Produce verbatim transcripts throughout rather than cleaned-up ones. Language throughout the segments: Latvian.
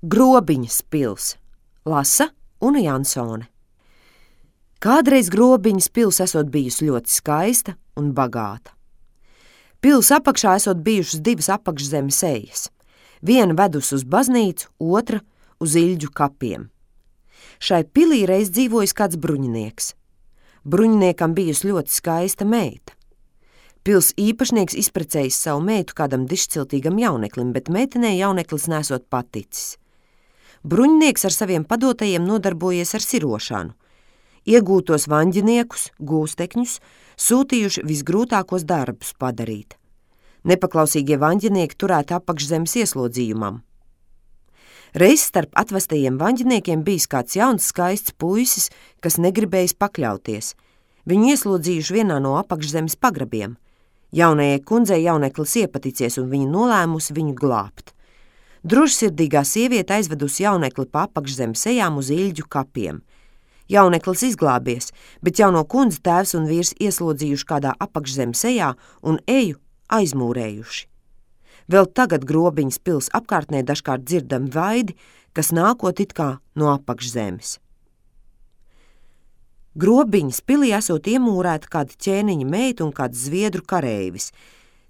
Grobiņas pils. Lasa Una Jansone. Kādreiz Grobiņas pils esot bijusi ļoti skaista un bagāta. Pils apakšā esot bijušas divas apakšzemes ejas. Viena vedus uz baznīcu, otra uz Ilģu kapiem. Šai pilī reiz dzīvojis kāds bruņinieks. Bruņiniekam bijusi ļoti skaista meita. Pils īpašnieks izprecējis savu meitu kādam dišciltīgam jauneklim, bet meitenei jauneklis nesot paticis. Bruņinieks ar saviem padotajiem nodarbojies ar sirošanu. Iegūtos vaņģiniekus, gūstekņus, sūtījuši visgrūtākos darbus padarīt. Nepaklausīgie vaņģinieki turēti apakšzemes ieslodzījumam. Reiz starp atvestajiem vaņģiniekiem bijis kāds jauns skaists puisis, kas negribējis pakļauties. Viņu ieslodzījuši vienā no apakšzemes pagrabiem. Jaunajai kundzei jauneklis iepaticies un viņa nolēmusi viņu glābt. Drošsirdīgā sieviete aizvedusi jaunekli pa apakšzemes ejām uz Ilģu kapiem. Jauneklis izglābies, bet jauno kundzi tēvs un vīrs ieslodzījuši kādā apakšzemes ejā un eju aizmūrējuši. Vēl tagad Grobiņas pils apkārtnē dažkārt dzirdami vaidi, kas nākot it kā no apakšzemes. Grobiņas pilī esot iemūrēta kāda ķēniņa meita un kāds zviedru kareivis.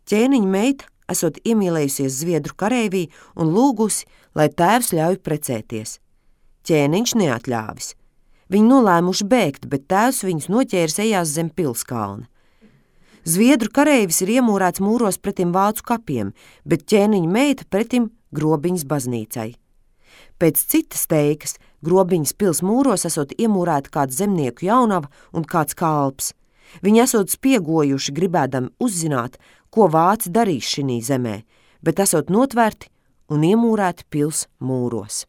Ķēniņa meita esot iemīlējusies zviedru kareivī un lūgusi, lai tēvs ļauj precēties. Ķēniņš neatļāvis. Viņi nolēmuši bēgt, bet tēvs viņus noķēris ejās zem pilskalna. Zviedru kareivis ir iemūrēts mūros pretim vācu kapiem, bet ķēniņa meita pretim Grobiņas baznīcai. Pēc citas teikas, Grobiņas pils mūros esot iemūrēta kāds zemnieku jaunava un kāds kalps. Viņi esot spiegojuši, gribēdami uzzināt, ko vāci darīs šinī zemē, bet esot notvērti un iemūrēti pils mūros.